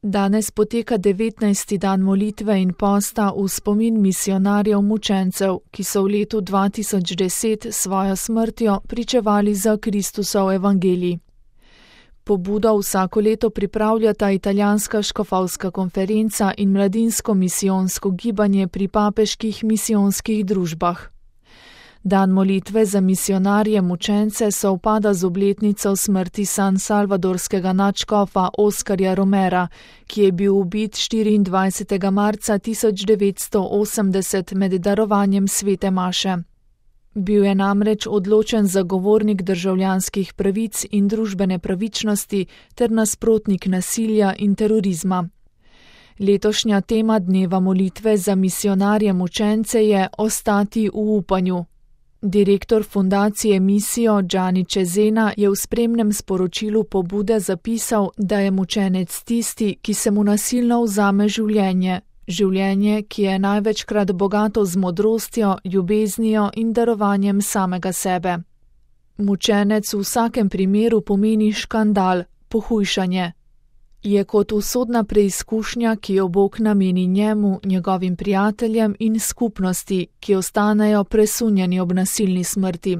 Danes poteka 19. dan molitve in posta v spomin misijonarjev mučencev, ki so v letu 2010 svojo smrtjo pričevali za Kristusov evangelij. Pobudo vsako leto pripravljata italijanska škofovska konferenca in mladinsko misijonsko gibanje pri papeških misijonskih družbah. Dan molitve za misijonarje mučence sovpada z obletnico smrti San Salvadorskega nadškofa Oskarja Romera, ki je bil ubit 24. marca 1980 med darovanjem svete maše. Bil je namreč odločen zagovornik državljanskih pravic in družbene pravičnosti ter nasprotnik nasilja in terorizma. Letošnja tema dneva molitve za misijonarje mučence je Ostati v upanju. Direktor fundacije Misijo Gianni Cesena je v spremnem sporočilu pobude zapisal, da je mučenec tisti, ki se mu nasilno vzame življenje, življenje, ki je največkrat bogato z modrostjo, ljubeznijo in darovanjem samega sebe. Mučenec v vsakem primeru pomeni škandal, pohujšanje. Je kot usodna preizkušnja, ki jo Bog nameni njemu, njegovim prijateljem in skupnosti, ki ostanejo presunjeni ob nasilni smrti.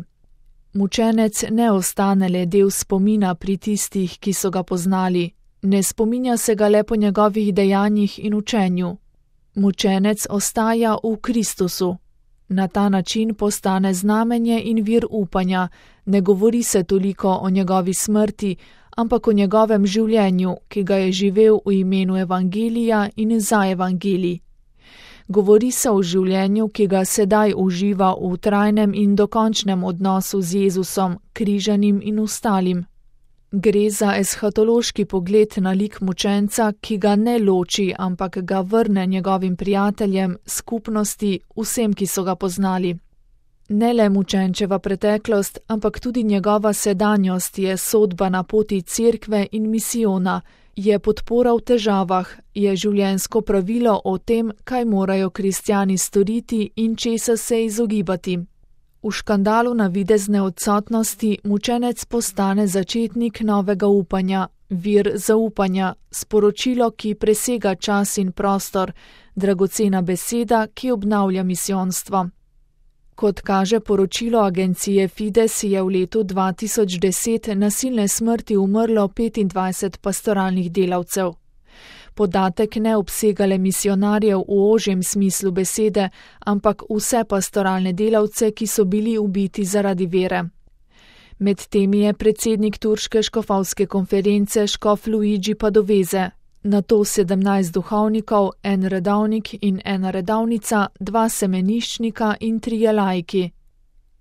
Mučenec ne ostane le del spomina pri tistih, ki so ga poznali, ne spominja se ga le po njegovih dejanjih in učenju. Mučenec ostaja v Kristusu. Na ta način postane znamenje in vir upanja, ne govori se toliko o njegovi smrti, ampak o njegovem življenju, ki ga je živel v imenu evangelija in za evangelij. Govori se o življenju, ki ga sedaj uživa v trajnem in dokončnem odnosu z Jezusom, križanim in ostalim. Gre za eshatološki pogled na lik mučenca, ki ga ne loči, ampak ga vrne njegovim prijateljem, skupnosti, vsem, ki so ga poznali. Ne le mučenčeva preteklost, ampak tudi njegova sedanjost je sodba na poti cerkve in misijona, je podpora v težavah, je življenjsko pravilo o tem, kaj morajo kristjani storiti in česa se izogibati. V škandalu navidezne odsotnosti mučenec postane začetnik novega upanja, vir zaupanja, sporočilo, ki presega čas in prostor, dragocena beseda, ki obnavlja misijonstvo. Kot kaže poročilo agencije Fides, je v letu 2010 nasilne smrti umrlo 25 pastoralnih delavcev. Podatek ne obsega le misijonarjev v ožjem smislu besede, ampak vse pastoralne delavce, ki so bili ubiti zaradi vere. Med temi je predsednik turške škofovske konference škof Luigi Padoveze, nato 17 duhovnikov, en redovnik in ena redovnica, 2 semeniščnika in 3 laiki.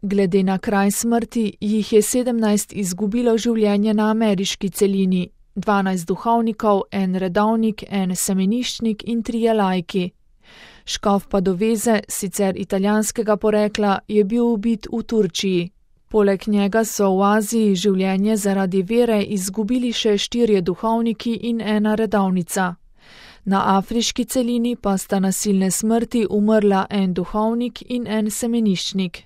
Glede na kraj smrti jih je 17 izgubilo življenje na ameriški celini, 12 duhovnikov, en redovnik, en semeniščnik in 3 laiki. Škof Padoveze, sicer italijanskega porekla, je bil ubit v Turčiji. Poleg njega so v Aziji življenje zaradi vere izgubili še 4 duhovniki in ena redovnica. Na afriški celini pa sta nasilne smrti umrla en duhovnik in en semeniščnik.